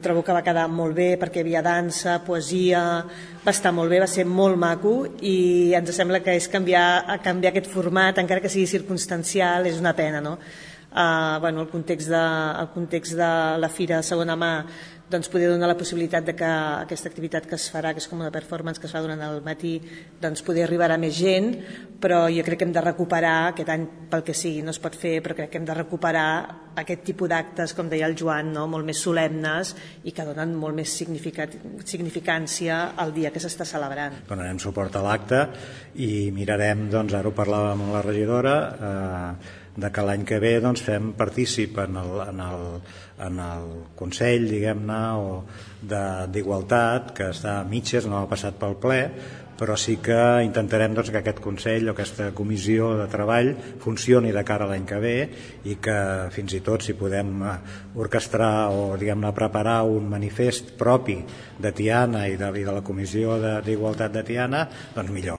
Trobo que va quedar molt bé perquè hi havia dansa, poesia, va estar molt bé, va ser molt maco i ens sembla que és canviar aquest format, encara que sigui circumstancial, és una pena, no? El context de la fira de segona mà doncs poder donar la possibilitat de que aquesta activitat que es farà, que és com una performance que es fa durant el matí, doncs poder arribar a més gent, però jo crec que hem de recuperar, aquest any pel que sigui no es pot fer, però crec que hem de recuperar aquest tipus d'actes, com deia el Joan, no? Molt més solemnes i que donen molt més significància al dia que s'està celebrant. Donarem suport a l'acte i mirarem, doncs ara ho parlàvem amb la regidora, de que l'any que ve doncs, fem partícip en el Consell, diguem-ne, d'Igualtat, que està a mitges, no ha passat pel ple, però sí que intentarem doncs, que aquest Consell o aquesta comissió de treball funcioni de cara a l'any que ve i que fins i tot si podem orquestrar o diguem-ne preparar un manifest propi de Tiana i de la Comissió d'Igualtat de Tiana, doncs millor.